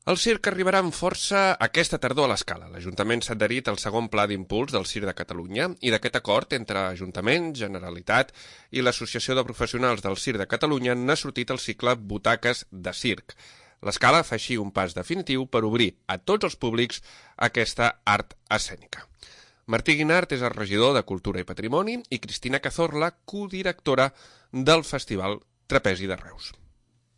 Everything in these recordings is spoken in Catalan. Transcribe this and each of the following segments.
El circ arribarà amb força aquesta tardor a l'Escala. L'Ajuntament s'ha adherit al segon pla d'impuls del Circ de Catalunya i d'aquest acord entre Ajuntament, Generalitat i l'Associació de Professionals del Circ de Catalunya n'ha sortit el cicle Butaques de Circ. L'Escala fa així un pas definitiu per obrir a tots els públics aquesta art escènica. Martí Guinart és el regidor de Cultura i Patrimoni i Cristina Cazorla, codirectora del Festival Trapezi de Reus.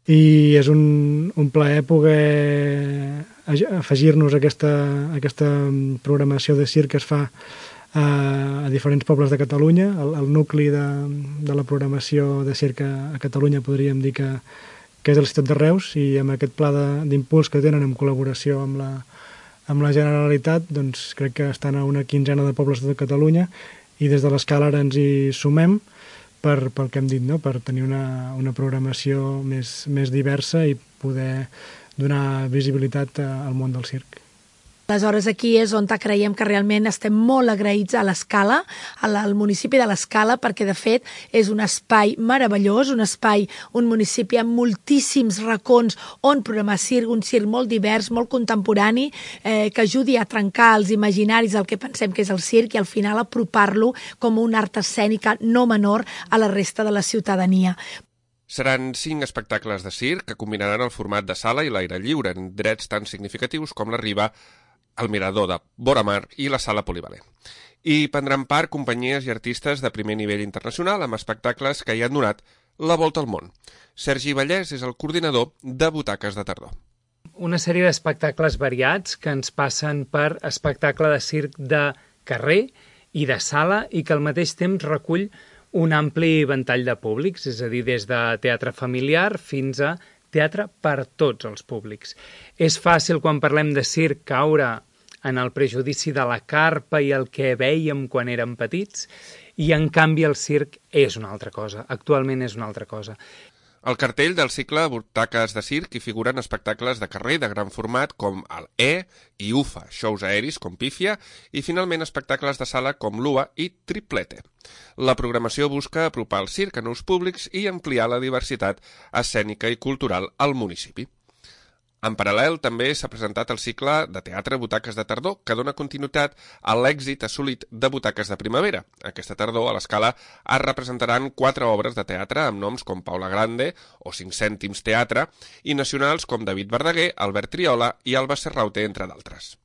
I és un plaer poder afegir-nos a aquesta programació de circ que es fa a diferents pobles de Catalunya. El nucli de la programació de circ a Catalunya podríem dir que és el ciutat de Reus, i amb aquest pla d'impuls que tenen en col·laboració amb la Generalitat, doncs crec que estan a una quinzena de pobles de Catalunya, i des de l'Escala ara ens hi sumem pel que hem dit, no? Per tenir una programació més diversa i poder donar visibilitat al món del circ. Aleshores, aquí és on creiem que realment estem molt agraïts a l'Escala, al municipi de l'Escala, perquè de fet és un espai meravellós, un municipi amb moltíssims racons on programar circ, un circ molt divers, molt contemporani, que ajudi a trencar els imaginaris del que pensem que és el circ i al final apropar-lo com una art escènica no menor a la resta de la ciutadania. Seran 5 espectacles de circ que combinaran el format de sala i l'aire lliure en drets tan significatius com la Riba, el Mirador de Boramar i la Sala Polivalent. I prendran part companyies i artistes de primer nivell internacional amb espectacles que hi han donat la volta al món. Sergi Vallès és el coordinador de Butaques de Tardor. Una sèrie d'espectacles variats que ens passen per espectacle de circ de carrer i de sala i que al mateix temps recull un ampli ventall de públics, és a dir, des de teatre familiar fins a teatre per tots els públics. És fàcil, quan parlem de circ, caure en el prejudici de la carpa i el que vèiem quan érem petits, i en canvi el circ és una altra cosa, actualment és una altra cosa. Al cartell del cicle Butaques de Circ hi figuren espectacles de carrer de gran format com el i UFA, shows aeris com Pífia i finalment espectacles de sala com l'UA i Triplete. La programació busca apropar el circ a nous públics i ampliar la diversitat escènica i cultural al municipi. En paral·lel, també s'ha presentat el cicle de teatre Butaques de Tardor, que dona continuïtat a l'èxit assolit de Butaques de Primavera. Aquesta tardor, a l'Escala, es representaran 4 obres de teatre amb noms com Paula Grande o 5 cèntims teatre i nacionals com David Verdaguer, Albert Triola i Alba Serraute, entre d'altres.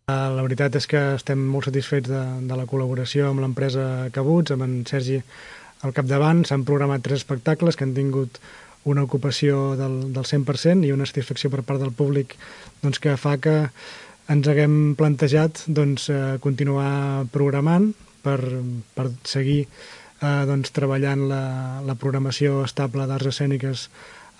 La veritat és que estem molt satisfets de la col·laboració amb l'empresa Cabuts, amb en Sergi al capdavant. S'han programat 3 espectacles que han tingut una ocupació del 100% i una satisfacció per part del públic que fa que ens haguem plantejat continuar programant per seguir treballant la programació estable d'arts escèniques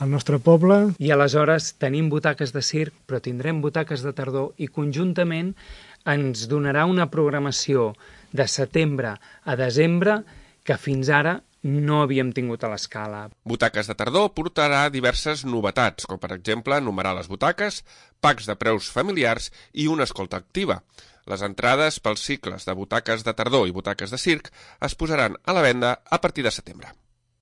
al nostre poble. I aleshores tenim butaques de circ, però tindrem butaques de tardor i conjuntament ens donarà una programació de setembre a desembre que fins ara no havíem tingut a l'Escala. Butaques de Tardor portarà diverses novetats, com per exemple numerar les butaques, packs de preus familiars i una escolta activa. Les entrades pels cicles de Butaques de Tardor i Butaques de Circ es posaran a la venda a partir de setembre.